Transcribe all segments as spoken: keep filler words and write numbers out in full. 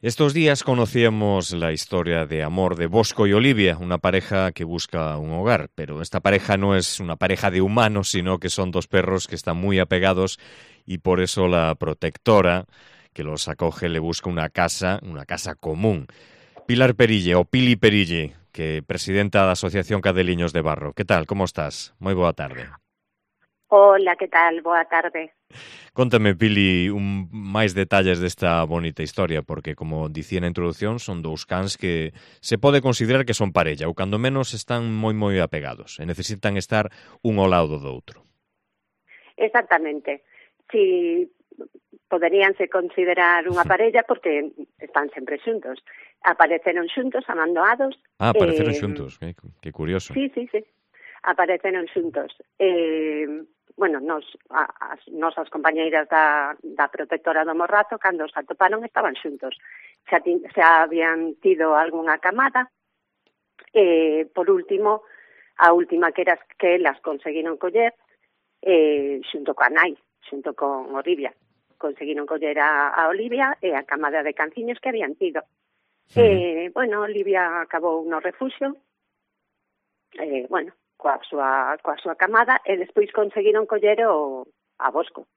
Estos días conocíamos la historia de amor de Bosco y Olivia, una pareja que busca un hogar, pero esta pareja no es una pareja de humanos, sino que son dos perros que están muy apegados y por eso la protectora que los acoge le busca una casa, una casa común. Pilar Perille, o Pili Perille, que presidenta da Asociación Cadeliños de Barro. Que tal, como estás? Moi boa tarde. Hola, que tal? Boa tarde. Contame, Pili, un máis detalles desta bonita historia, porque, como dicía na introducción, son dous cans que se pode considerar que son parella, ou cando menos están moi moi apegados, e necesitan estar un ao lado do outro. Exactamente. Si poderíanse considerar unha parella porque están sempre xuntos. Apareceron xuntos, amandoados. Ah, apareceron Eh, xuntos, que, que curioso. sí, sí, sí. Apareceron xuntos. Eh, bueno, nos, a, as nosas compañeiras da, da protectora do Morrazo, cando os atoparon, estaban xuntos. Xa, ti, xa habían tido algunha camada. Eh, por último, a última que eras que elas conseguiron coller, eh, xunto coa nai, xunto con Olivia. Conseguiron coller a, a Olivia e a camada de canciños que habían tido. Uh-huh. Eh, bueno, Olivia acabou no refuxio, eh, bueno, coa súa, coa súa camada, e despois conseguiron coller o, a Bosco.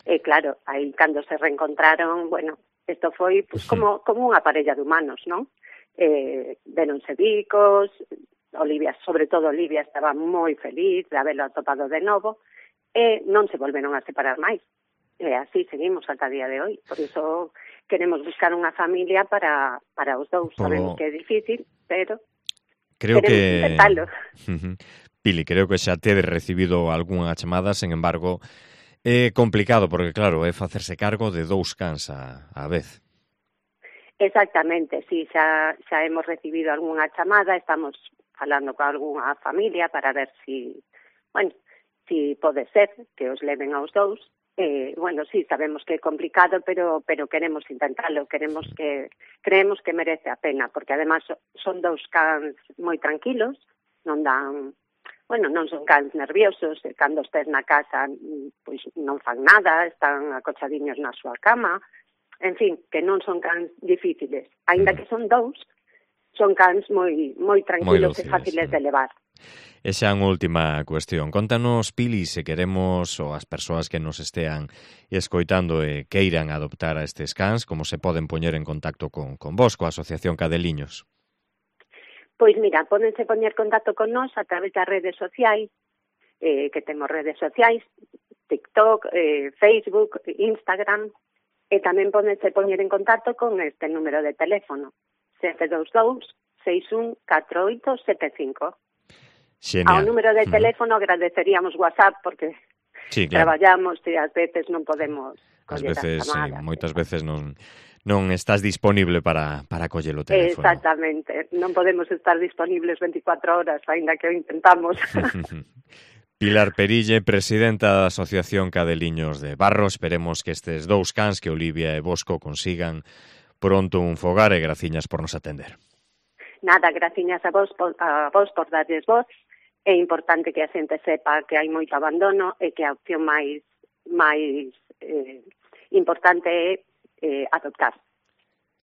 E claro, aí cando se reencontraron, bueno, isto foi pues, como, como unha parella de humanos, non? Eh, deronse bicos, Olivia, sobre todo Olivia, estaba moi feliz de haberlo atopado de novo, e non se volveron a separar máis. E así seguimos ata día de hoy. Por iso queremos buscar unha familia para, para os dous. Polo... Sabemos que é difícil, pero creo queremos que... intentalo. Pili, creo que xa tedes recibido algunha chamada, sen embargo, é complicado, porque claro, é facerse cargo de dous cans a, a vez. Exactamente, sí, xa, xa hemos recibido algunha chamada, estamos falando con algunha familia para ver si, bueno, si pode ser que os leven aos dous. Eh, bueno, sí, sabemos que é complicado, pero pero queremos intentalo, queremos que creemos que merece a pena, porque además son dous cans moi tranquilos, non dan, bueno, non son cans nerviosos, e cando estés na casa, pois non fan nada, están acochadiños na súa cama, en fin, que non son cans difíciles, aínda que son dous, son cans moi moi tranquilos moi dóciles, e fáciles de levar. E xa unha última cuestión. Contanos, Pili, se queremos, ou as persoas que nos estean escoitando e queiran adoptar a estes cans, como se poden poñer en contacto con, con vos, coa Asociación Cadeliños? Pois mira, pódense poñer contacto con nós a través das redes sociais, eh, que temos redes sociais, TikTok, eh, Facebook, Instagram, e tamén pódense poñer en contacto con este número de teléfono, sete dous dous, seis un catro oito sete cinco. Genial. Ao número de teléfono uh-huh. agradeceríamos WhatsApp porque sí, claro. Traballamos e ás veces non podemos coller as chamadas. Sí, moitas veces non non estás disponible para, para coller o teléfono. Exactamente, non podemos estar disponibles veinticuatro horas, ainda que o intentamos. Pilar Perille, presidenta da Asociación Cadeliños de Barro, esperemos que estes dous cans, que Olivia e Bosco, consigan pronto un fogar, e graciñas por nos atender. Nada, graciñas a vos, a vos por darles voz. É importante que a xente sepa que hai moito abandono e que a opción máis máis eh, importante é eh, adoptar.